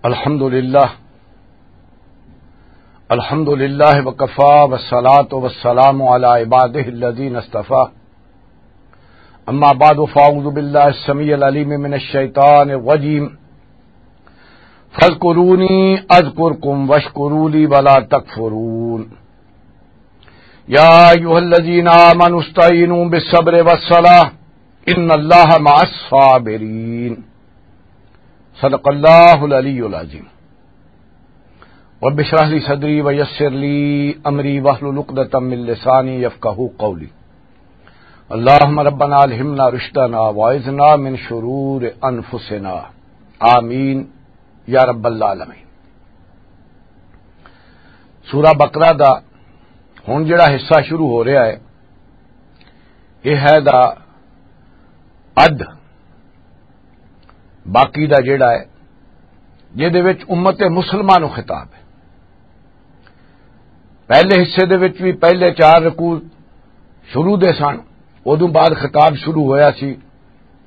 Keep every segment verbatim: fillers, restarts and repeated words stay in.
الحمد لله. الحمد لله وكفى والصلاة والسلام على عباده الذين اصطفى. أما بعد فأعوذ بالله السميع العليم من الشيطان الرجيم. فاذكروني أذكركم واشكروا لي ولا تكفرون. يا أيها الذين آمنوا استعينوا بالصبر والصلاة إن الله مع الصابرين. صدق الله العلي العظيم. رب اشرح لي صدري ويسر لي أمري واحلل عقدة من لساني يفقهوا قولي. اللهم ربنا ألهمنا رشدنا وأعذنا من شرور أنفسنا. آمين يا رب العالمين. سورہ بقرہ دا ہن جڑا حصہ شروع ہو رہا ہے، یہ ہے دا اد، باقی دا جڑا ہے، جہدے وچ امت مسلمہ نو خطاب ہے۔ پہلے حصے دے وچ بھی پہلے چار رکوع شروع دے سن، ادوں بعد خطاب شروع ہویا سی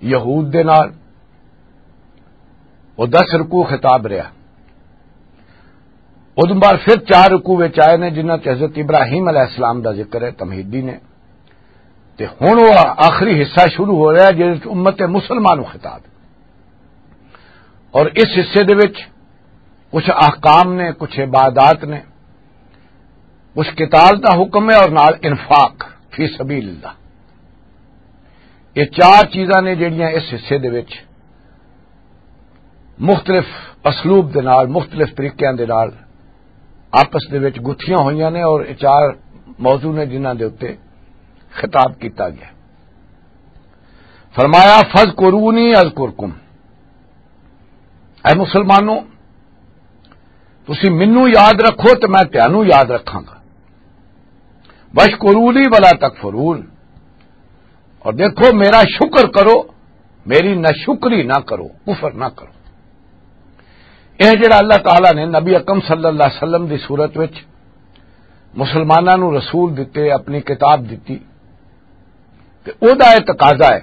یہود دے نال، وہ دس رکوع خطاب رہا۔ ادوں بعد پھر چار رکوع وچ آئے نے، جنہاں چ حضرت ابراہیم علیہ السلام دا ذکر ہے، تمہیدی نے۔ تے ہن وہ آخری حصہ شروع ہو رہا ہے، جس وچ امت مسلمہ نو خطاب ہے۔ اور اس حصے دے وچ کچھ احکام نے، کچھ عبادات نے، کچھ قتال دا حکم ہے اور نال انفاق فی سبیل اللہ۔ یہ چار چیزاں نے جڑیاں اس حصے دے وچ مختلف اسلوب دے نال، مختلف طریقیاں دے نال آپس دے وچ گتھیاں ہوئیاں نے اور یہ چار موضوع نے جنہاں دے اُتے خطاب کیتا گیا۔ فرمایا، "فذکرونی اذکرکم۔" اے مسلمانوں، تسی مینوں یاد رکھو تے میں تانوں یاد رکھاں گا۔ "واشکروا لی ولا تکفرون۔" اور دیکھو، میرا شکر کرو، میری ناشکری نہ کرو، کفر نہ کرو۔ یہ جڑا اللہ تعالیٰ نے نبی اکرم صلی اللہ علیہ وسلم دی صورت وچ مسلماناں نو رسول دتے، اپنی کتاب دتی، تے او دا یہ تقاضا ہے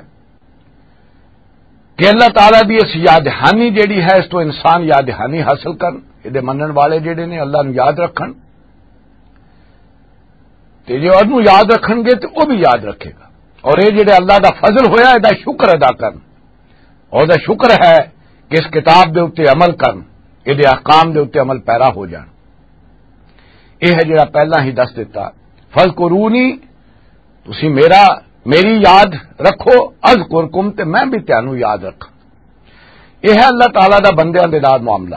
کہ اللہ تعالیٰ دی اس یاد دہانی جڑی ہے، اس تو انسان یاد دہانی حاصل کرن، یہ منن والے جڑے نے اللہ نو یاد رکھن، تے جے انہوں یاد رکھن گے تے وہ بھی یاد رکھے گا۔ اور یہ جڑے اللہ دا فضل ہویا، یہ دا شکر ادا کرن، اور دا شکر ہے کہ اس کتاب دے اُتے عمل کرن، یہ دے احکام دے اُتے عمل پیرا ہو جان۔ یہ ہے جڑا پہلا ہی دس دیتا، "فذکرونی"، تسی میرا، میری یاد رکھو، "اذکرکم"، تے میں بھی تانوں یاد رکھاں۔ یہ ہے اللہ تعالیٰ دا بندیاں دے نال معاملہ،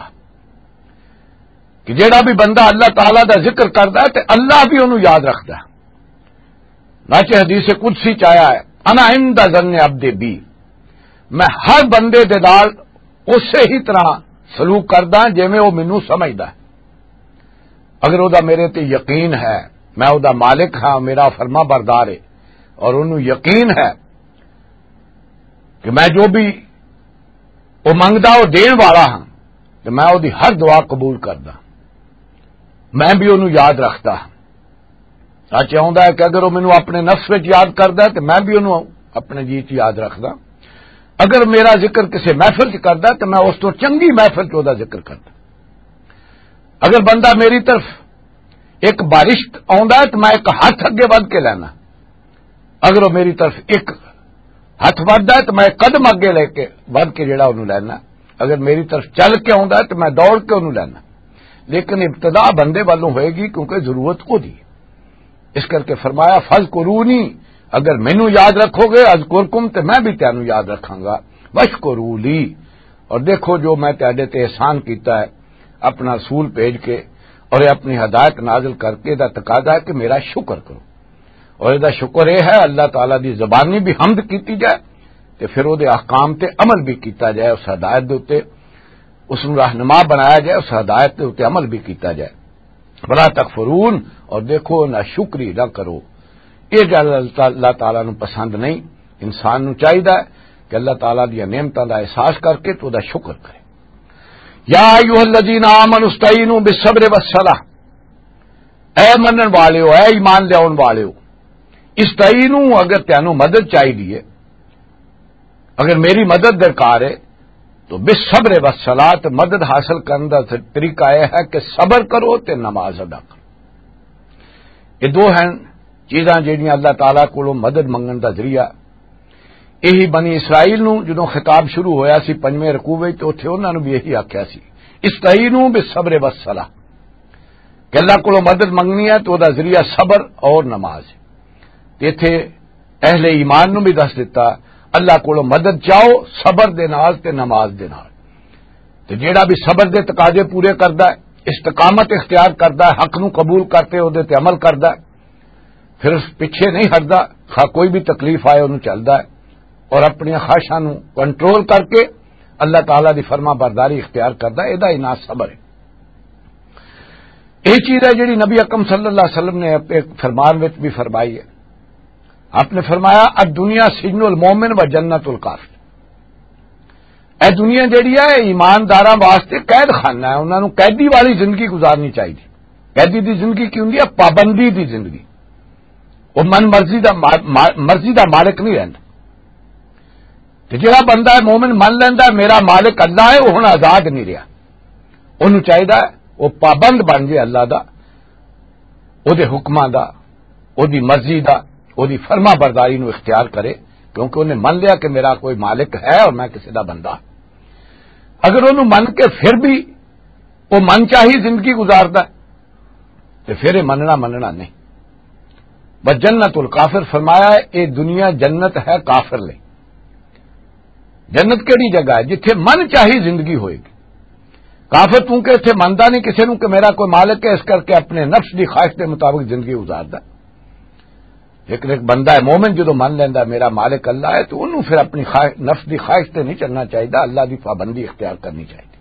کہ جڑا بھی بندہ اللہ تعالیٰ دا ذکر کردا ہے تے اللہ بھی انہوں یاد رکھدا ہے۔ ناچے حدیث قدسی چ آیا ہے، "انا عند ظن عبدی بی"، میں ہر بندے دے نال اسی ہی طرح سلوک کردا جویں او مینوں سمجھدا ہے۔ اگر او دا میرے تے یقین ہے، میں او دا مالک ہاں، میرا فرما بردار ہے، اور انہوں یقین ہے کہ میں جو بھی او منگدا، او دین والا ہاں، تے میں او دی ہر دعا قبول کردا، میں بھی انہوں یاد رکھدا ہاں۔ سچ یہ ہوندا ہے کہ اگر وہ مینوں اپنے نفس وچ یاد کردا ہے، تے میں بھی انہوں اپنے جی چ یاد رکھدا۔ اگر میرا ذکر کسی محفل چ کردا ہے، تے میں اس تو چنگی محفل چ او دا ذکر کردا۔ اگر بندہ میری طرف ایک بارشت آوندا ہے، تے میں ایک ہاتھ اگے ودھ کے لینا۔ اگر وہ میری طرف ایک ہاتھ ودھدا ہے، تے میں قدم اگے لے کے، ودھ کے جڑا انہوں لینا۔ اگر میری طرف چل کے آوندا ہے، تے میں دوڑ کے انہوں لینا۔ لیکن ابتدا بندے والوں ہوئے گی، کیونکہ ضرورت او دی۔ اس کر کے فرمایا، "فذکرونی"، اگر مینوں یاد رکھو گے، "اذکرکم"، تے میں بھی تانوں یاد رکھاں گا۔ "واشکروا لی"، اور دیکھو جو میں تہاڈے تے احسان کیتا ہے، اپنا رسول بھیج کے اور یہ اپنی ہدایت نازل کر کے، دا تقاضا ہے کہ میرا شکر کرو۔ اور یہ دا شکر یہ ہے، اللہ تعالیٰ دی زبانی بھی حمد کیتی جائے، تے پھر او دے احکام تے عمل بھی کیتا جائے، اس ہدایت دے اُتے اس نوں رہنما بنایا جائے، اس ہدایت دے اُتے عمل بھی کیتا جائے۔ "ولا تکفرون"، اور دیکھو، نہ شکری نہ کرو۔ یہ گل اللہ تعالیٰ نوں پسند نہیں۔ انسان نوں چاہیدا ہے کہ اللہ تعالیٰ دیاں نعمتاں دا احساس کر کے تو دا شکر کرے۔ "یا ایھا الذین آمنوا استعینوا بالصبر والصلاۃ"، اے منن والےو، اے ایمان لیاون والےو، استعینوا، اگر تانوں مدد چاہیدی ہے، اگر میری مدد درکار ہے، تو بالصبر والصلاۃ، مدد حاصل کرن دا طریقہ یہ ہے کہ صبر کرو تے نماز ادا کرو۔ یہ دو ہیں چیزاں جہڑیاں اللہ تعالیٰ کولوں مدد منگن دا ذریعہ۔ یہی بنی اسرائیل نوں جدوں خطاب شروع ہویا سی پنجویں رکوع وچ، تے اوتھے انہاں نوں بھی یہی آکھیا سی، "استعینوا بالصبر والصلاۃ"، کہ اللہ کولوں مدد منگنی ہے تو دا ذریعہ صبر اور نماز ہے۔ تے ایتھے اہل ایمان نوں بھی دس دتا، اللہ کولوں مدد چاہو صبر دے نال تے نماز دے نال۔ تے جیڑا بھی صبر دے تقاضے پورے کردا ہے، استقامت اختیار کردا ہے، حق نوں قبول کرتے او دے تے عمل کردا ہے، پھر اس پیچھے نہیں ہٹدا، خواہ کوئی بھی تکلیف آئے، انہوں چلدا ہے اور اپنی خواہشاں نوں کنٹرول کر کے اللہ تعالیٰ دی فرما برداری اختیار کردا ہے، ادا ہی نام صبر ہے۔ یہ چیز ہے جڑی نبی اکرم صلی اللہ علیہ وسلم نے ایک فرمان وچ بھی فرمائی ہے۔ آپ نے فرمایا، "الدنیا سجن المومن و جنت الکافر۔" اے دنیا جڑی ہے، ایمانداراں واسطے قید خانہ ہے، انہاں نوں قیدی والی زندگی گزارنی چاہیے۔ قیدی دی زندگی کی ہوندی ہے؟ پابندی دی زندگی۔ وہ من مرضی دا ما-، ما-، مرضی دا مالک نہیں رہندا۔ تے جڑا بندہ ہے مومن من لیندا ہے، "میرا مالک اللہ ہے"، وہ ہن آزاد نہیں رہیا۔ اونوں چاہیدا ہے وہ پابند بن جائے اللہ دا، او دے حکماں دا، او دی مرضی دا، او دی فرما برداری نو اختیار کرے، کیونکہ انہیں من لیا کہ میرا کوئی مالک ہے اور میں کسی دا بندہ۔ اگر انہوں من کے پھر بھی وہ من چاہی زندگی گزاردا ہے، تے پھر یہ مننا مننا نہیں۔ بس جنت الکافر فرمایا ہے، یہ دنیا جنت ہے کافر لئی۔ جنت کیڑی جگہ ہے؟ جتھے من چاہی زندگی ہوئے گی۔ کافر چونکہ اتھے مندا نہیں کسی نوں کہ میرا کوئی مالک ہے، اس کر کے اپنے نفس دی خواہش دے مطابق زندگی گزاردا۔ لیکن ایک بندہ ہے مومن، جدوں من لیندا میرا مالک اللہ ہے، تو انہوں پھر اپنی خواہش، نفس دی خواہش تے نہیں چلنا چاہیدا، اللہ دی پابندی اختیار کرنی چاہیے۔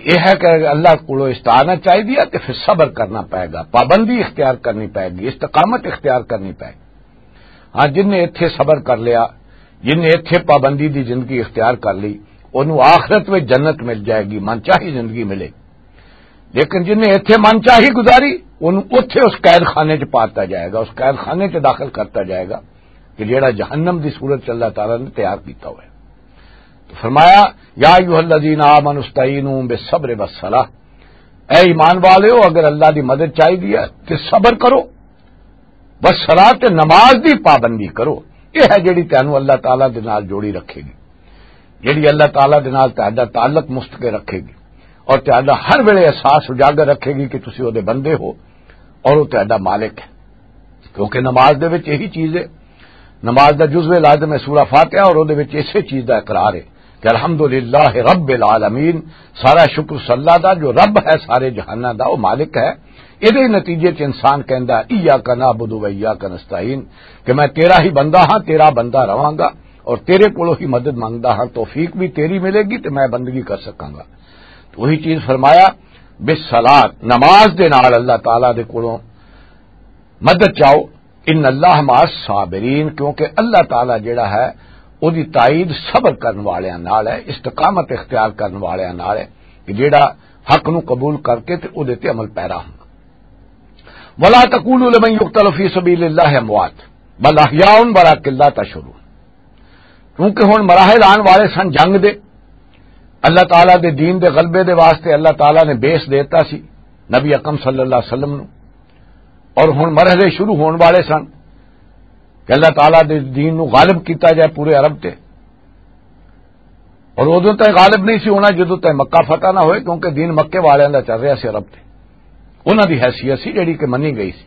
یہ ہے کہ اللہ کو استعانت چاہیے، تو پھر صبر کرنا پائے گا، پابندی اختیار کرنی پائے گی، استقامت اختیار کرنی پائے گی۔ ہاں، جن نے ایتھے صبر کر لیا، جن نے ایتھے پابندی دی زندگی اختیار کر لی، انہوں آخرت وچ جنت مل جائے گی، من چاہی زندگی ملے۔ لیکن جن نے ایتھے من چاہی گزاری، انہوں اوتھے اس قید خانے چ پاتا جائے گا، اس قید خانے چ داخل کرتا جائے گا کہ جیڑا جہنم دی صورت چ اللہ تعالیٰ نے تیار کیتا ہوا ہے۔ تو فرمایا، "یا ایھا الذین آمنوا استعینوا بالصبر والصلاۃ"، اے ایمان والےو، اگر اللہ دی مدد چاہیے ہے تے صبر کرو، بس صلاۃ، نماز دی پابندی کرو۔ یہ ہے جڑی تینوں اللہ تعالیٰ دے نال جوڑی رکھے گی، جڑی اللہ تعالیٰ دے نال تہاڈا تعلق مستقر رکھے گی اور تہاڈا ہر ویلے احساس اجاگر رکھے گی کہ تسی او دے بندے ہو اور او تہاڈا مالک ہے۔ کیونکہ نماز دے وچ یہی چیز ہے، نماز دا جزو لازم ہے سورہ فاتحہ، اور او دے وچ اسے چیز دا اقرار ہے کہ الحمدللہ رب العالمین، سارا شکر اس اللہ دا جو رب ہے سارے جہاناں دا، وہ مالک ہے۔ یہ نتیجے چ انسان کہندا، "ایاک نعبد و ایاک نستعین"، کہ میں تیرا ہی بندہ ہاں، تیرا بندہ رہواں گا اور تیرے کولوں ہی مدد منگدا ہاں، توفیق بھی تیری ملے گی تے میں بندگی کر سکاں گا۔ تو وہی چیز فرمایا، "بالصلاۃ"، نماز دے نال اللہ تعالیٰ دے کولوں مدد چاہو۔ "ان اللہ مع الصابرین"، کیونکہ اللہ تعالیٰ جڑا ہے، او دی تائید صبر کرن والیاں نال ہے، استقامت اختیار کرن والیاں نال ہے، کہ جڑا حق نو قبول کر کے تے او دے تے عمل پیرا ہوندا۔ "ولا تقولوا لمن يقتل في سبيل الله اموات بل احياء ولكن لا تشعرون"۔ کیونکہ ہن مراحل آن والے سن جنگ دے، اللہ تعالیٰ دے دین دے غلبے دے واسطے اللہ تعالیٰ نے بیس دیتا سی نبی اکرم صلی اللہ علیہ وسلم نو، اور ہن مرحلے شروع ہون والے سن کہ اللہ تعالیٰ دے دین نو غالب کیتا جائے پورے عرب تے۔ اور ادوں تائیں غالب نہیں سی ہونا جدوں تائیں مکہ فتح نہ ہوئے، کیونکہ دین مکے والیاں دا چل رہا سی عرب تے، انہاں دی حیثیت سی جڑی کہ منی گئی سی۔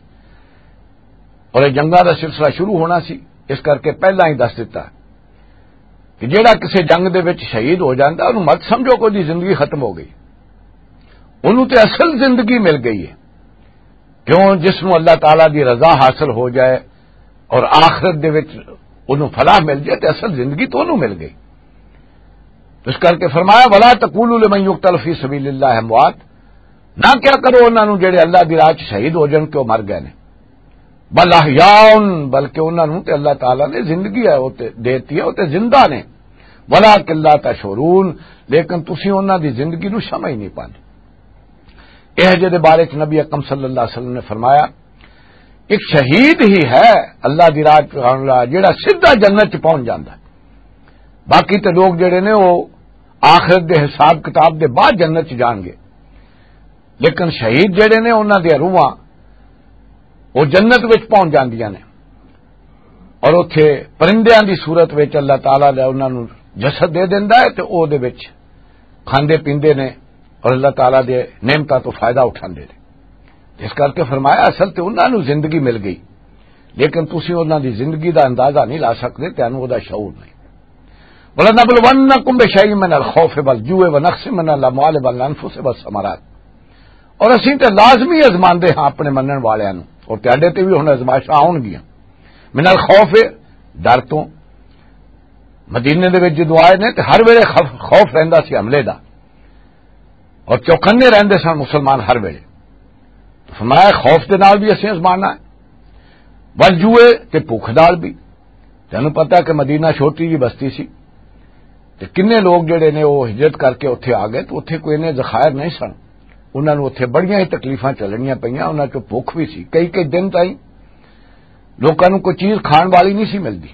اور یہ جنگاں دا سلسلہ شروع ہونا سی، اس کر کے پہلا ہی دس دتا کہ جیڑا کسے جنگ دے وچ شہید ہو جاندا، انہوں مت سمجھو کہ اوہدی زندگی ختم ہو گئی۔ انہوں تے اصل زندگی مل گئی ہے۔ کیوں؟ جس نوں اللہ تعالیٰ دی رضا حاصل ہو جائے اور آخرت دے وچ انہوں فلاح مل جائے، تے اصل زندگی تو انہوں مل گئی۔ اس کر کے فرمایا، "ولا تقولوا لمن يقتل في سبيل الله اموات"، نہ کیا کرو انہاں نوں جڑے اللہ دی راہ چ شہید ہو جان کہ وہ مر گئے نے۔ "بل احیاء"، بلکہ انہاں نوں تے اللہ تعالیٰ نے زندگی ہے، وہ تے دیتی ہے، وہ تے زندہ نے۔ "ولکن لا تشعرون"، لیکن تسی انہاں دی زندگی نوں سمجھ نہیں پاندے۔ یہ جے دے بارے چ نبی اکرم صلی اللہ علیہ وسلم نے فرمایا، ایک شہید ہی ہے اللہ دی راہ چ آن والا جڑا سیدھا جنت چ پہنچ جاندا ہے۔ باقی تے لوگ جڑے نے وہ آخرت دے حساب کتاب دے بعد جنت چ جان گے۔ لیکن شہید جڑے نے، انہاں دیاں روحاں وہ جنت وچ پہنچ جاندیاں نے، اور اوتھے پرندیاں دی صورت وچ اللہ تعالیٰ دا انہاں نوں جسد دے دیندا ہے، تے او دے وچ کھاندے پیندے نے، اور اللہ تعالیٰ دے نعمتاں تو فائدہ اٹھاندے نے۔ اس کر کے فرمایا، اصل تے انہاں نوں زندگی مل گئی، لیکن تسی انہاں دی زندگی دا اندازہ نہیں لا سکدے، تانوں او دا شعور نہیں۔ وَلَنَبْلُوَنَّكُمْ بِشَيْءٍ مِّنَ الْخَوْفِ وَالْجُوعِ وَنَقْصٍ مِّنَ الْأَمْوَالِ وَالْأَنفُسِ وَالثَّمَرَاتِ۔ اور اسی تے لازمی ازماندے ہاں اپنے منن والیاں نوں، اور تہاڈے تے بھی ہن ازمائشاں آؤن گیاں۔ من الخوف، ڈر تو۔ مدینے دے وچ جدوں آئے نے تے ہر ویلے خوف، خوف رہندا سی حملے دا، اور چوکنے رہندے سن مسلمان ہر ویلے۔ تو فرمایا، خوف دے نال بھی اسی ازمانا ہے، والجوع، تے بھوک نال بھی۔ تینوں پتہ کہ مدینہ چھوٹی جی بستی سی، تے کنے لوگ جڑے نے وہ ہجرت کر کے اوتھے آ گئے، تو اوتھے کوئی نے ذخائر نہیں سن۔ انہاں نوں اوتھے بڑیاں ہی تکلیفاں چلنیاں پئیاں، انہاں چوں بھوک بھی سی، کئی کئی دن تائیں لوکاں نوں کوئی چیز کھان والی نہیں سی ملدی۔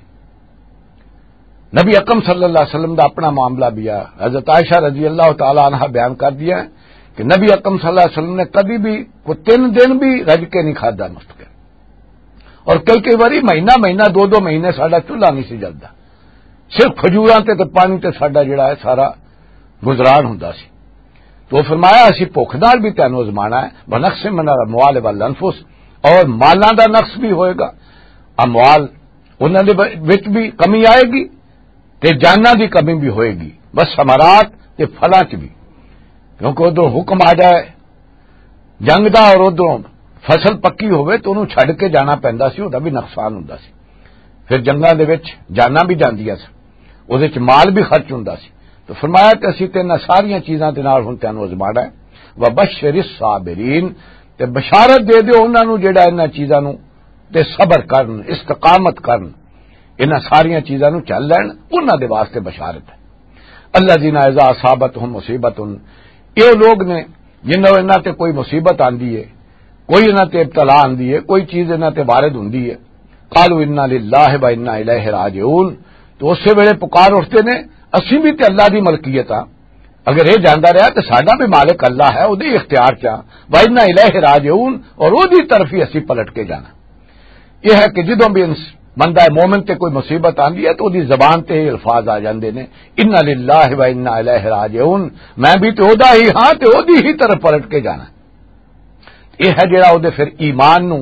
نبی اکرم صلی اللہ علیہ وسلم دا اپنا معاملہ بھی ہے۔ حضرت عائشہ رضی اللہ تعالی عنہا بیان کر دیا ہے کہ نبی اکرم صلی اللہ علیہ وسلم نے کدی بھی کوئی تین دن بھی رج کے نہیں کھادا مفت کے، اور کئی کئی باری مہینہ مہینہ، دو دو مہینے ساڈا چولہا نہیں سی جلدا، صرف کھجوراں تے تے پانی تے ساڈا جڑا ہے سارا گزران ہوندا سی۔ تو فرمایا، اسی بھوک نال بھی تینوں ازمانا ہے، ونقص من الاموال والانفس، اور مالاں دا نقص بھی ہوئے گا، اموال انہاں دے وچ بھی کمی آئے گی، تے جاناں دی کمی بھی ہوئے گی، بس ثمرات تے پھلاں چ بھی، کیونکہ ادھروں حکم آ جائے جنگ دا اور ادھروں فصل پکی ہوئے تو انہوں چھڈ کے جانا پیندا سی، ادا بھی نقصان ہوندا سی۔ پھر جنگاں دے وچ جاناں بھی جاندیاں سن، اودے وچ مال بھی خرچ ہوندا سی۔ تو فرمایا کہ اسی تے انہاں ساریاں چیزاں دے نال ہن تینوں ازمانا ہے۔ وبشر الصابرین، تے بشارت دے دیو انہاں نوں جڑا انہاں چیزاں نوں تے صبر کرن، استقامت کرن، انہاں ساریاں چیزاں نوں چل لین، انہاں دے واسطے بشارت ہے۔ الذین اذا اصابتہم مصیبۃ، یہ لوگ نے جنہاں انہاں تے کوئی مصیبت آندی ہے، کوئی انہاں تے ابتلا آندی ہے، کوئی چیز انہاں تے وارد ہوندی ہے، قالوا انا للہ و انا الیہ راجعون، تو اسی ویلے پکار اٹھتے نے، اسی بھی تے اللہ دی ملکیت ہاں، اگر یہ جاندا رہا تو ساڈا بھی مالک اللہ ہے، اودے اختیار چ ہاں، و انا الیہ راجعون، اور اودی طرف ہی اسی پلٹ کے جانا۔ یہ ہے کہ جدوں بھی انس-، بندہ مومن تے کوئی مصیبت آندی ہے تو اودی زبان تے یہ الفاظ آ جاندے نے، انا للہ و انا الیہ راجعون، میں بھی تے اودا ہی ہاں تے اودی ہی طرف پلٹ کے جانا۔ یہ ہے جڑا اودے پھر ایمان نو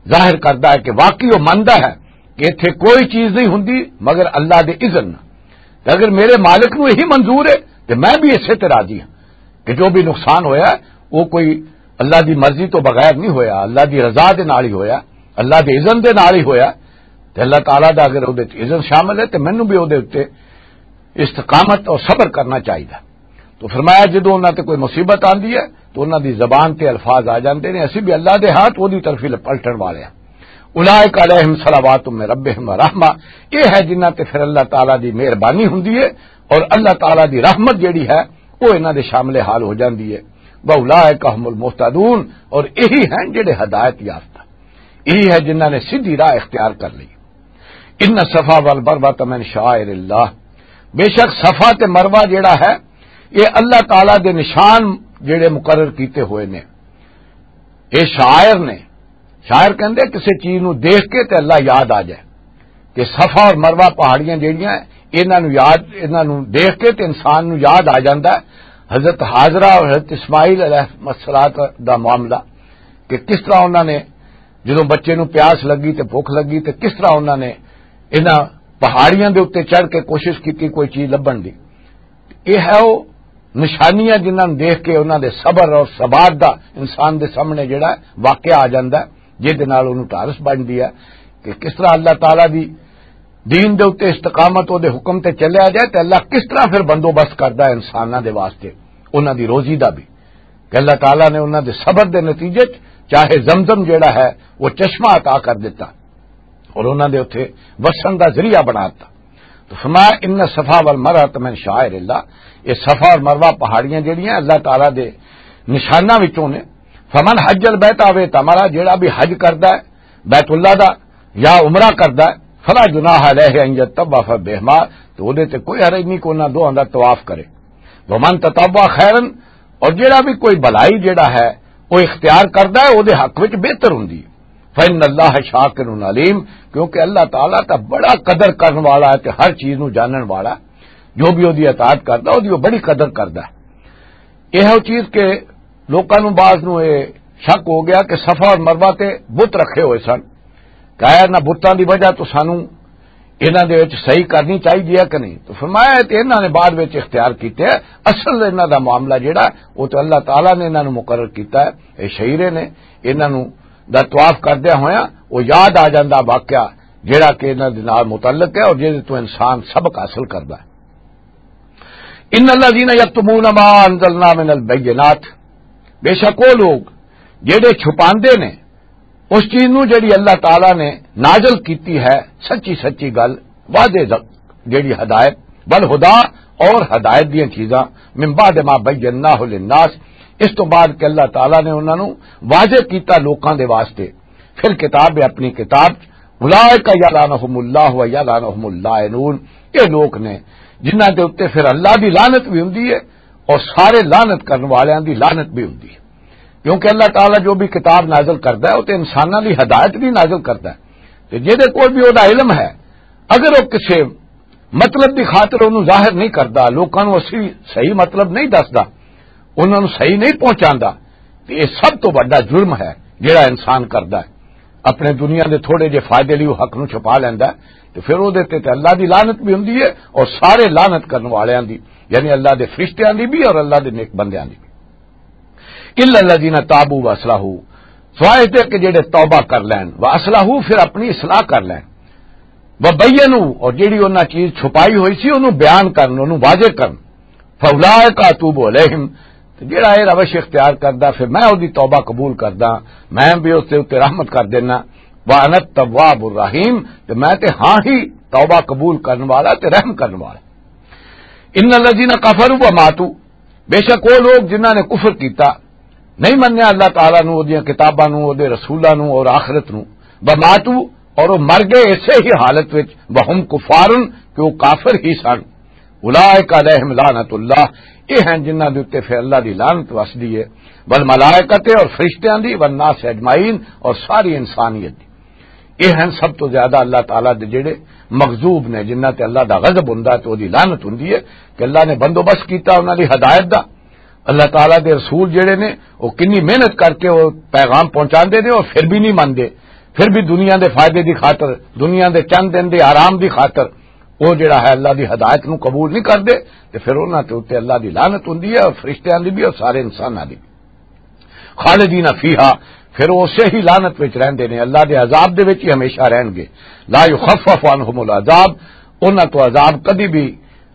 ظاہر کردا ہے کہ واقعی وہ مندا ہے کہ ایتھے کوئی چیز نہیں ہوندی مگر اللہ دے اذن نال۔ تے اگر میرے مالک نو یہی منظور ہے تے میں بھی اسے تے راضی ہاں کہ جو بھی نقصان ہویا ہے، وہ کوئی اللہ دی مرضی تو بغیر نہیں ہویا، اللہ دی رضا دے نال ہی ہویا، اللہ دے اذن دے نال ہی ہویا۔ تے اللہ تعالیٰ دا اگر اودے وچ اذن شامل ہے تے مینوں بھی اودے اُتے استقامت اور صبر کرنا چاہیدا۔ تو فرمایا، جدوں انہاں تے کوئی مصیبت آندی ہے تو انہاں دی زبان تے الفاظ آ جاندے نے، اسی بھی اللہ دے ہاتھ اودی طرفی پلٹن والے ہیں۔ اولئک علیہم صلوات من ربہم و رحمہ، یہ ہے جنہاں تے پھر اللہ تعالیٰ دی مہربانی ہوندی ہے اور اللہ تعالیٰ دی رحمت جڑی ہے وہ انہاں دے شامل حال ہو جاندی ہے۔ واولئک هم المہتدون، اور یہی ہیں جڑے ہدایت یافتہ، یہی ہے جنہاں نے سیدھی راہ اختیار کر لی۔ ان الصفا والمروۃ من شعائر اللہ، بے شک صفا تے مروہ جڑا ہے یہ اللہ تعالیٰ دے نشان جڑے مقرر کیتے ہوئے نے، یہ شاعر نے۔ شاعر کہندے کسے چیز نو دیکھ کے تے اللہ یاد آ جائے۔ تے صفا اور مروہ پہاڑیاں جڑیاں، انہاں نو یاد، انہاں نو دیکھ کے تے انسان نو یاد آ جاندا ہے حضرت حاجرہ اور حضرت اسماعیل علیہ السلام دا معاملہ، کہ کس طرح انہاں نے جدوں بچے نو پیاس لگی تے بھوک لگی تے کس طرح انہاں نے انہاں پہاڑیاں دے اُتے چڑھ کے کوشش کیتی کوئی چیز لبھن دی۔ یہ ہے وہ نشانیاں جنہاں نوں دیکھ کے انہاں دے صبر اور ثبات دا انسان دے سامنے جڑا ہے واقعہ آ جاندا ہے، جس دے نال انہوں ٹارس بنتی ہے کہ کس طرح اللہ تعالیٰ دی دین دے اُتے استقامت، او دے حکم تے چلیا جائے تے اللہ کس طرح پھر بندوبست کردا ہے انساناں دے واسطے انہاں دی روزی دا بھی، کہ اللہ تعالیٰ نے انہاں دے صبر دے نتیجے چ چاہے زمزم جڑا ہے وہ چشمہ عطا کر دیتا۔ اور انہاں دے اوتھے وسن دا ذریعہ بنا دتا۔ تو فرمایا، ان صفا والمروۃ من شعائر اللہ، یہ صفا اور مروہ پہاڑیاں جڑیاں اللہ تعالیٰ دے نشاناں وچوں نے۔ فمن حج البیت او اعتمر، جڑا بھی حج کردا ہے بیت اللہ دا یا عمرہ کردا ہے، فلا جناح علیہ ان یطوف بہما، تو او دے تے کوئی حرج نہیں کہ انہاں دوہاں دا طواف کرے۔ ومن تطوع خیرا، اور جڑا بھی کوئی بھلائی جڑا ہے وہ اختیار کردا ہے، او دے حق وچ بہتر ہوندی ہے۔ فإن اللہ شاکر علیم، کیونکہ اللہ تعالیٰ دا بڑا قدر کرن والا ہے تے ہر چیز نو جانن والا، جو بھی او دی اطاعت کردا، او دی او بڑی قدر کردا ہے۔ یہ چیز کہ لوکاں نوں، بعض نوں یہ شک ہو گیا کہ صفا اور مروہ تے بت رکھے ہوئے سن، کہ آیا نہ بتاں دی وجہ تو سانوں انہاں دے وچ صحیح کرنی چاہیے کہ نہیں؟ تو فرمایا ہے کہ انہاں نے بعد وچ اختیار کیتے ہیں۔ اصل انہاں دا معاملہ جڑا، وہ تو اللہ تعالیٰ نے انہاں نوں مقرر کیتا ہے۔ اے شعیرے نے انہاں نوں دا طواف کردیا ہویا وہ یاد آ جاندا واقعہ، جڑا کہ انہاں دے نال متعلق ہے اور جس تو انسان سبق حاصل کردا ہے۔ ان الذین یکتمون ما انزلنا من البینات، بے شک وہ لوگ جڑے چھپاندے نے اس چیز نو جڑی اللہ تعالیٰ نے نازل کیتی ہے، سچی سچی گل، واضح ز-، جڑی ہدایت، والہدی، اور ہدایت دیاں چیزاں، من بعد ما بیناہ للناس، اس تو بعد کہ اللہ تعالیٰ نے انہاں نو واضح کیتا لوکاں دے واسطے، فی الکتاب، اپنی کتاب، اولئک یلعنہم اللہ و یلعنہم اللاعنون، یہ لوگ نے جنہاں دے اُتے پھر اللہ دی لعنت بھی ہوندی ہے اور سارے لعنت کرن والیاں دی لعنت بھی ہوندی ہے۔ کیونکہ اللہ تعالیٰ جو بھی کتاب نازل کردا ہے، وہ تے انساناں دی ہدایت بھی نازل کردا ہے۔ تے جہدے کول بھی وہ علم ہے، اگر وہ کسے مطلب دی خاطر انہوں ظاہر نہیں کردا، لوکاں نوں اسی صحیح مطلب نہیں دسدا، انہاں نوں صحیح نہیں پہنچاندا، تے یہ سب تو بڑا جرم ہے جڑا انسان کردا ہے۔ اپنے دنیا دے تھوڑے جے فائدے لئی وہ حق نوں چھپا لیندا ہے، تے پھر وہ دے تے، تے اللہ دی لعنت بھی ہوندی ہے اور سارے لعنت کرن والیاں دی، یعنی اللہ دے فرشتیاں دی بھی اور اللہ دے نیک بندیاں دی بھی۔ الا الذین تابوا واصلحوا، سوائے اس دے کہ جڑے توبہ کر لین، واصلحوا، پھر اپنی اصلاح کر لین، وبینوا، اور جڑی انہاں چیز چھپائی ہوئی سی انہوں بیان کرن، انہوں واضح کرن، فاولئک اتوب علیہم، تے جڑا اے روش اختیار کردا پھر میں اودی توبہ قبول کردا، میں بھی اس دے اُتے رحمت کر دینا، وانا التواب الرحیم، تے میں تے ہاں ہی توبہ قبول کرن والا تے رحم کرن والا۔ ان الذین کفروا وماتوا، بے شک وہ لوگ جنہاں نے کفر کیتا، نہیں منیا اللہ تعالیٰ نو، اودیاں کتاباں نو، اودے رسولاں نو اور آخرت نو، وماتوا، اور وہ مر گئے اسے ہی حالت وچ، وہم کفارن، کہ وہ کافر ہی سن، اولئک علیہم لعنت اللہ، یہ ہیں جنہاں دے اُتے پھر اللہ دی لعنت وسدی ہے، والملائکۃ، اور فرشتیاں دی، والناس اجمعین، اور ساری انسانیت دی۔ یہ ہیں سب تو زیادہ اللہ تعالیٰ دے جڑے مغضوب نے، جنہاں تے اللہ دا غضب ہوندا تے اودی لعنت ہوندی ہے، کہ اللہ نے بندوبست کیتا انہاں دی ہدایت دا۔ اللہ تعالیٰ دے رسول جڑے نے، وہ کنی محنت کر کے وہ پیغام پہنچاندے نے اور پھر بھی نہیں مندے، پھر بھی دنیا دے فائدے دی خاطر، دنیا دے چند دن دے آرام دی خاطر وہ جڑا ہے اللہ دی ہدایت نو قبول نہیں کردے، تے پھر انہاں تے اُتے اللہ دی لعنت ہوندی ہے اور فرشتیاں دی بھی اور سارے انساناں دی بھی۔ خالدین فیہا، پھر وہ اسے ہی لعنت وچ رہندے نے، اللہ دے عذاب دے وچ ہی ہمیشہ رہن گے۔ لا یخفف عنہم العذاب، انہاں تو عذاب کدی بھی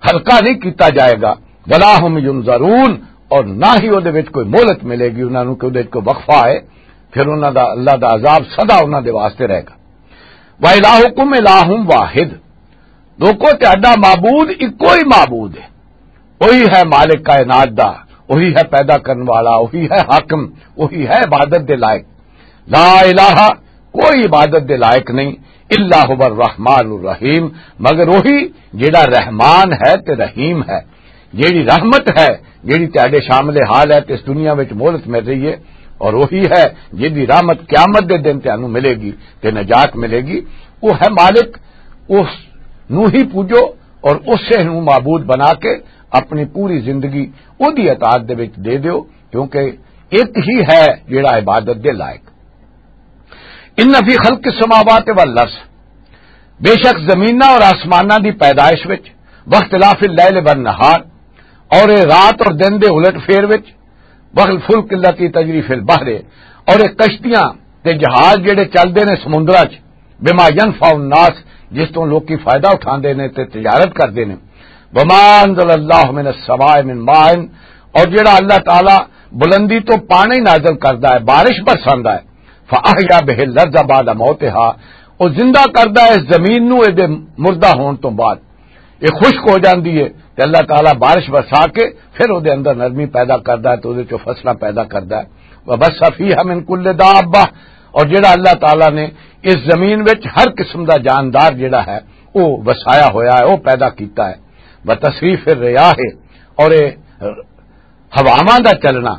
ہلکا نہیں کیتا جائے گا، ولا ہم ینظرون، اور نہ ہی وہ دے وچ کوئی مہلت ملے گی انہاں نو کہ وہ دے وچ کوئی وقفہ ہے، پھر انہاں دا، اللہ دا عذاب سدا انہاں دے واسطے رہے گا۔ وَإِلَٰهُكُمْ إِلَٰهٌ وَاحِدٌ، لوکو، تہاڈا معبود اکو ہی معبود ہے، وہی ہے مالک کائنات دا، وہی ہے پیدا کرن والا، وہی ہے حاکم، وہی ہے عبادت دے لائق۔ لا الہ، کوئی عبادت دے لائق نہیں، الا هو الرحمن الرحیم، مگر وہی جڑا رحمان ہے تے رحیم ہے۔ جیڑی رحمت ہے، جیڑی تہاڈے شامل حال ہے تے اس دنیا وچ مہلت مل رہی ہے، اور وہی ہے جیڑی رحمت قیامت دے دن تانوں ملے گی تے نجات ملے گی۔ وہ ہے مالک، اس نو ہی پوجو اور اسے نو معبود بنا کے اپنی پوری زندگی اودی اطاعت دے وچ دے دیو، کیونکہ ایک ہی ہے جیڑا عبادت دے لائق۔ ان فی خلق السماوات والارض، بے شک زمیناں اور آسماناں دی پیدائش وچ، واختلاف اللیل والنہار، اور اے رات اور دن دے الٹ پھیر وچ، والفلک التی تجری فی البحر، اور اے کشتیاں تے جہاز جڑے چلدے نے سمندراں چ، بما ینفع الناس، جس تو لوکی فائدہ اٹھاندے نے تے تجارت کردے نے۔ وما انزل اللہ من السماء من ماء، اور جڑا اللہ تعالی بلندی تو پانی نازل کردا ہے، بارش برساندا ہے، فاحیا بہ الارض بعد موتها، او زندہ کردا ہے اس زمین نو اے دے مردہ ہون تو بعد، یہ خشک ہو جاندی ہے، تے اللہ تعالیٰ بارش برسا کے پھر او دے اندر نرمی پیدا کردا ہے تے او دے چوں فصلاں پیدا کردا ہے۔ وبث فیہا من کل دابہ، اور جڑا اللہ تعالیٰ نے اس زمین وچ ہر قسم دا جاندار جڑا ہے، وہ وسایا ہویا ہے، وہ پیدا کیتا ہے۔ وتصریف الرياح، اور یہ ہواواں دا چلنا،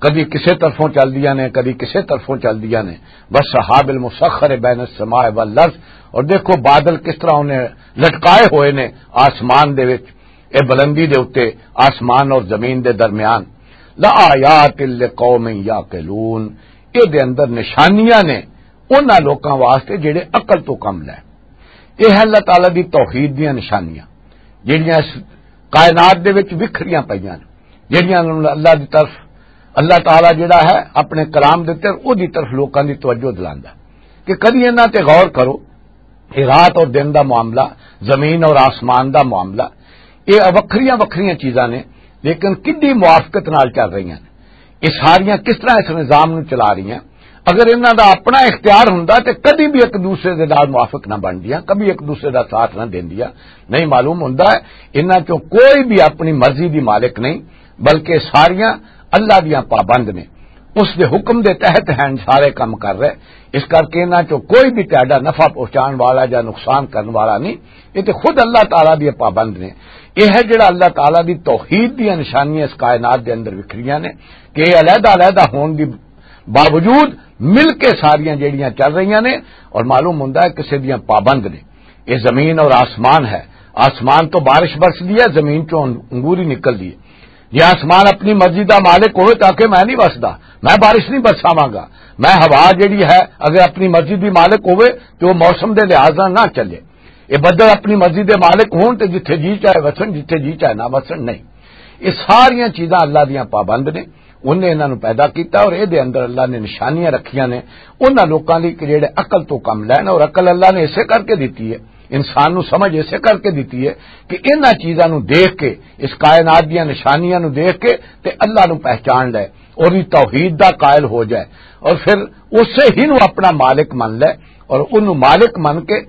کدی کسے طرفوں چلدیاں نے، کدی کسے طرفوں چلدیاں نے۔ والسحاب المسخر بين السماء والارض، اور دیکھو بادل کس طرح انہیں لٹکائے ہوئے نے آسمان دے وچ، اے بلندی دے اُتے، آسمان اور زمین دے درمیان۔ لآيات لقوم يعقلون، اے دے اندر نشانیاں نے انہاں لوکاں واسطے جڑے عقل تو کم لے۔ اے ہے اللہ تعالیٰ دی توحید دیاں نشانیاں، جڑیاں اس کائنات دے وچ وکھریاں پئیاں نے، جڑیاں نوں اللہ دی طرف، اللہ تعالیٰ جڑا ہے اپنے کلام دے تے او دی طرف لوکاں دی توجہ دلاندا ہے کہ کدی انہاں تے غور کرو۔ یہ رات اور دن دا معاملہ، زمین اور آسمان دا معاملہ، یہ وکھریاں وکھریاں چیزاں نے، لیکن کڈی موافقت نال چل رہی ہیں۔ یہ ساریاں کس طرح اس نظام نوں چلا رہی ہیں؟ اگر انہاں دا اپنا اختیار ہوندا تے کدی بھی ایک دوسرے دے نال موافق نہ بندیاں، کبھی ایک دوسرے دا ساتھ نہ دیندیاں۔ نہیں، معلوم ہوندا ہے انہاں چوں کوئی بھی اپنی مرضی دی مالک نہیں، بلکہ ساریاں اللہ دیاں پابند نے، اس دے حکم دے تحت ہیں سارے کم کر رہے۔ اس کر کے انہاں چوں کوئی بھی تہاڈا نفع پہنچان والا یا نقصان کرن والا نہیں۔ یہ تے خود اللہ تعالیٰ دی پابند نے۔ یہ ہے جڑا اللہ تعالیٰ دی توحید دیاں نشانیاں اس کائنات دے اندر وکھریاں نے کہ یہ علیحدہ علیحدہ ہون دی باوجود مل کے ساریاں جڑیاں چل رہیاں نے اور معلوم ہوندا ہے کسے دیاں پابند نے۔ یہ زمین اور آسمان ہے، آسمان تو بارش برسدی ہے، زمین چوں انگوری نکلدی ہے۔ جے آسمان اپنی مرضی دا مالک ہوئے تاکہ میں نہیں وسدا، میں بارش نہیں برساواں گا۔ میں ہوا جڑی ہے، اگر اپنی مرضی دی مالک ہوئے تو وہ موسم دے لحاظ نال نہ چلے۔ یہ بدل اپنی مرضی دے مالک ہون تے جتھے جی چاہے وسن، جتھے جی چاہے نہ وسن، نہیں۔ یہ ساریاں چیزاں اللہ دیاں پابند نے۔ انہیں انہاں نوں پیدا کیتا اور اے دے اندر اللہ نے نشانیاں رکھیاں نے انہاں لوکاں لئی کہ جڑے عقل تو کم لین، اور عقل اللہ نے اسے کر کے دتی ہے، انسان نوں سمجھ اسے کر کے دتی ہے کہ انہاں چیزاں نوں دیکھ کے، اس کائنات دیاں نشانیاں نوں دیکھ کے تے اللہ نوں پہچان لے اور دی توحید دا قائل ہو جائے، اور پھر اسے ہی نوں اپنا مالک من لے، اور انہوں مالک من کے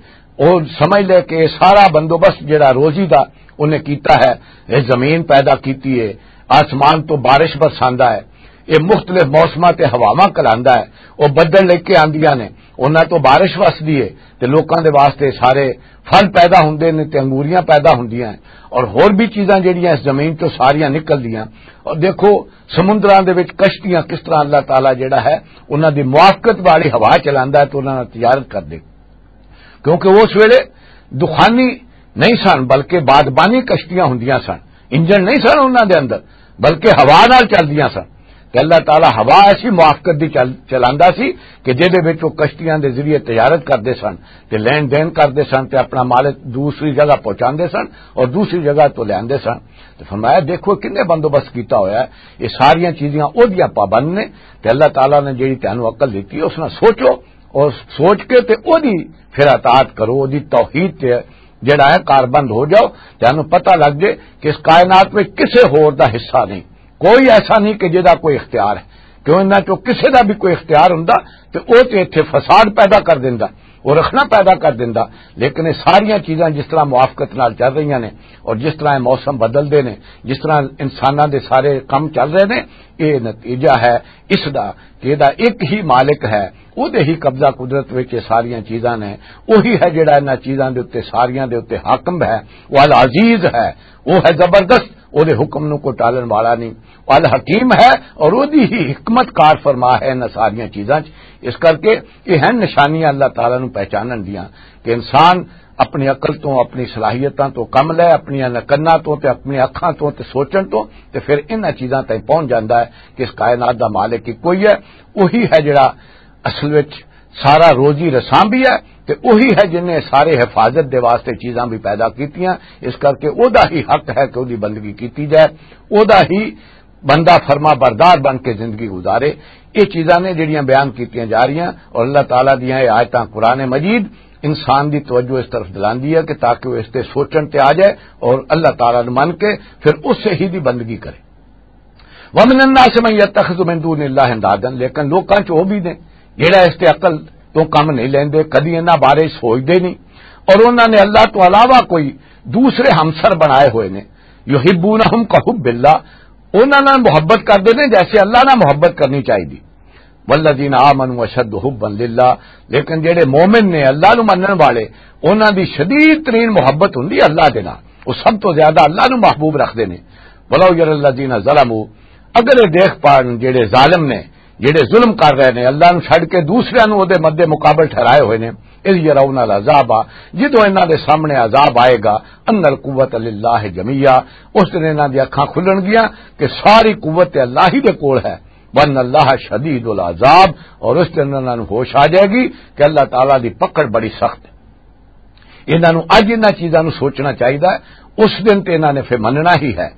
اور سمجھ لے کہ یہ سارا بندوبست جڑا روزی دا انہیں کیتا ہے، یہ زمین پیدا کیتی ہے، آسمان تو بارش برساندا ہے، یہ مختلف موسماں تے ہواواں کلاندا ہے، وہ بدل لے کے آندیاں نے، انہاں تو بارش وسدی ہے تے لوکاں دے واسطے سارے پھل پیدا ہوندے نے تے انگوریاں پیدا ہوندیاں ہیں، اور ہور بھی چیزاں جڑیاں اس زمین چوں ساریاں نکلدیاں۔ اور دیکھو، سمندراں دے وچ کشتیاں کس طرح اللہ تعالیٰ جڑا ہے، انہاں دی موافقت والی ہوا چلاندا ہے تے انہاں نال تجارت کردے، کیونکہ اس ویلے دخانی نہیں سن، بلکہ بادبانی کشتیاں ہوندیاں سن، انجن نہیں سن انہاں دے اندر، بلکہ ہوا نال چلدیاں سن۔ تے اللہ تعالیٰ ہوا ایسی موافقت دی چل-، چلاندا سی کہ جہدے وچ وہ کشتیاں دے ذریعے تجارت کردے سن تے لین دین کردے سن تے اپنا مال دوسری جگہ پہنچاندے سن اور دوسری جگہ تو لیاندے سن۔ تے فرمایا، دیکھو کنے بندوبست کیتا ہویا ہے، یہ ساریاں چیزاں او دیاں پابند نے۔ تے اللہ تعالیٰ نے جڑی تینوں عقل دتی ہے، اس نال سوچو اور سوچ کے تے او دی پھر اطاعت کرو، او دی توحید تے جڑا ہے کاربند ہو جاؤ۔ تینوں پتہ لگ جائے کہ اس کائنات میں کسے ہور دا حصہ نہیں، کوئی ایسا نہیں کہ جدا کوئی اختیار ہے۔ کیوں انہاں چوں کسے دا بھی کوئی اختیار ہوندا تے او تے ایتھے فساد پیدا کر دیندا، او رکھنا پیدا کر دیندا۔ لیکن یہ ساریاں چیزاں جس طرح موافقت نال چل رہیاں نے اور جس طرح یہ موسم بدلدے نے، جس طرح انساناں دے سارے کم چل رہے نے، یہ نتیجہ ہے اس دا کہ یہ دا ایک ہی مالک ہے، او دے ہی قبضہ قدرت وچ یہ ساریاں چیزاں نے۔ وہی ہے جڑا انہاں چیزاں دے اُتے، ساریاں دے اُتے حاکم ہے، وہ العزیز ہے، وہ ہے زبردست، او دے حکم نوں کوئی ٹالن والا نہیں۔ الحکیم ہے، اور او دی ہی حکمت کار فرما ہے انہاں ساریاں چیزاں چ۔ اس کر کے یہ ہیں نشانیاں اللہ تعالیٰ نوں پہچانن دیاں کہ انسان اپنی عقل تو، اپنی صلاحیتاں تو کم لے، اپنی کناں تو تے اپنی اکھاں تو تے سوچن تو، تے پھر انہاں چیزاں تائیں پہنچ جاندا ہے کہ اس کائنات دا مالک ہی کوئی ہے، وہی ہے جڑا اصل وچ سارا روزی رساں بھی ہے، تے وہی ہے جن نے سارے حفاظت دے واسطے چیزاں بھی پیدا کیتیاں۔ اس کر کے او دا ہی حق ہے کہ او دی بندگی کیتی جائے، او دا ہی بندہ فرما بردار بن کے زندگی گزارے۔ یہ چیزاں نے جڑیاں بیان کیتیاں جا رہی ہیں، اور اللہ تعالیٰ دیاں یہ آیتاں قرآن مجید انسان دی توجہ اس طرف دلاندی ہے کہ تاکہ وہ اس تے سوچن تے آ جائے اور اللہ تعالیٰ نوں من کے پھر اس سے ہی دی بندگی کرے۔ وَمِنَ النَّاسِ مَن يَتَّخِذُ مِن دُونِ اللَّهِ أَنْدَادًا، لیکن لوکاں چ وہ بھی نے جڑا اس تے عقل تو کم نہیں لیندے، کدی انہاں بارے سوچدے نہیں، اور انہاں نے اللہ تو علاوہ کوئی دوسرے ہمسر بنائے ہوئے نے۔ يُحِبُّونَهُمْ كَحُبِّ اللَّهِ، انہاں نال محبت کردے نے جیسے اللہ نال محبت کرنی چاہیے۔ والذین آمنوا اشد حبا للہ، لیکن جڑے مومن نے، اللہ نو منن والے، انہاں دی شدید ترین محبت ہوندی ہے اللہ دے نال۔ وہ سب تو زیادہ اللہ نو محبوب رکھدے نے۔ ولو یری الذین ظلموا، اگر یہ دیکھ پان جڑے ظالم نے، جڑے ظلم کر رہے نے، اللہ نو چھڈ کے دوسرے نو او دے مد مقابل ٹھہرائے ہوئے نے، اذ یرون العذاب، جدوں انہاں دے سامنے عذاب آئے گا، ان القوۃ للہ جمیعا، اس دن انہاں دی اکھاں کھلن گیاں کہ ساری قوت تے اللہ ہی دے کول ہے۔ وان اللہ شدید العذاب، اور اس دن انہاں نوں ہوش آ جائے گی کہ اللہ تعالیٰ دی پکڑ بڑی سخت ہے۔ انہاں نوں اج انہاں چیزاں نوں سوچنا چاہیدا ہے، اس دن تے انہاں نے پھر مننا ہی ہے۔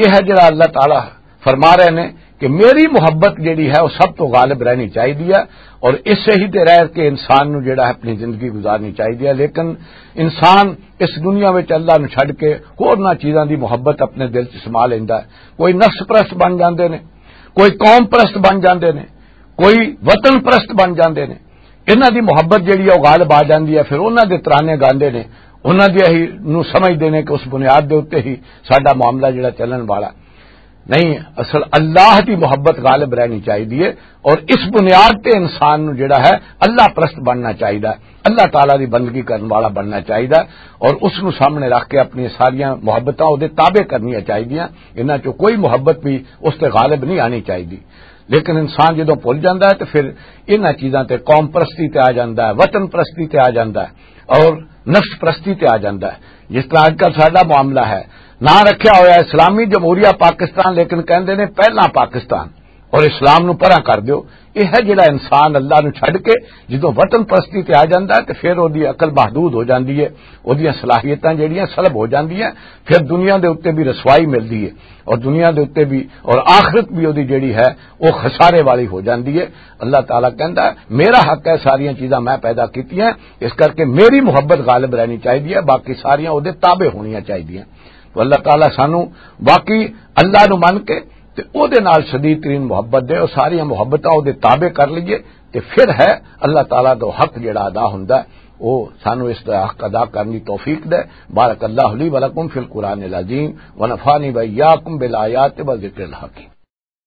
یہ ہے جڑا اللہ تعالیٰ فرما رہے نے کہ میری محبت جڑی ہے وہ سب تو غالب رہنی چاہیدی ہے، اور اسے ہی تے رہ کے انسان نوں جڑا ہے اپنی زندگی گزارنی چاہیدی ہے۔ لیکن انسان اس دنیا وچ اللہ نوں چھڈ کے ہورناں چیزاں دی محبت اپنے دل چ سما لیندا ہے۔ کوئی نفس پرست بن جاندے نے، کوئی قوم پرست بن جاندے نے، کوئی وطن پرست بن جاندے نے۔ انہاں دی محبت جڑی ہے، وہ غالب آ جاندی ہے۔ پھر انہاں دے ترانے گاندے نے، انہاں دے ہی نوں سمجھدے نے کہ اس بنیاد دے اُتے ہی ساڈا معاملہ جڑا چلن والا۔ نہیں، اصل اللہ دی محبت غالب رہنی چاہیدی ہے، اور اس بنیاد تے انسان نوں جڑا ہے، اللہ پرست بننا چاہیدا ہے، اللہ تعالیٰ دی بندگی کرن والا بننا چاہیدا ہے، اور اس نوں سامنے رکھ کے اپنی ساریاں محبتاں او دے تابع کرنیاں چاہیدیاں۔ انہاں چوں کوئی محبت بھی اس تے غالب نہیں آنی چاہیدی۔ لیکن انسان جدوں بھل جاندا ہے تے پھر انہاں چیزاں تے، قوم پرستی تے آ جاندا ہے، وطن پرستی تے آ جاندا ہے، اور نفس پرستی تے آ جاندا ہے۔ جس طرح اج کل ساڈا معاملہ ہے، نہ رکھیا ہویا اسلامی جمہوریہ پاکستان، لیکن کہندے نے پہلا پاکستان، اور اسلام نو پرا کر دیو۔ یہ ہے جڑا انسان اللہ نو چھڈ کے جدوں وطن پرستی تے آ جاندا ہے تے پھر او دی عقل محدود ہو جاندی ہے، او دیاں صلاحیتاں جڑیاں سلب ہو جاندیاں، پھر دنیا دے اُتے بھی رسوائی ملدی ہے، اور دنیا دے اُتے بھی، اور آخرت بھی او دی جڑی ہے، او خسارے والی ہو جاندی ہے۔ اللہ تعالیٰ کہندا ہے، میرا حق ہے، ساریاں چیزاں میں پیدا کیتیاں، اس کر کے میری محبت غالب رہنی چاہیدی ہے، باقی ساریاں او دے تابع ہونیاں چاہیدیاں۔ تو اللہ تعالیٰ سانو باقی اللہ نو من کے تے او دے نال شدید ترین محبت دے، او ساریاں محبتاں او دے تابع کر لئیے، تے پھر ہے اللہ تعالیٰ دا حق جڑا ادا ہوندا ہے، او سانو اس دا حق ادا کرن دی توفیق دے۔ بارک اللہ لی ولکم فی القرآن العظیم، ونفعنی و ایاکم بالآیات و ذکر الحکیم۔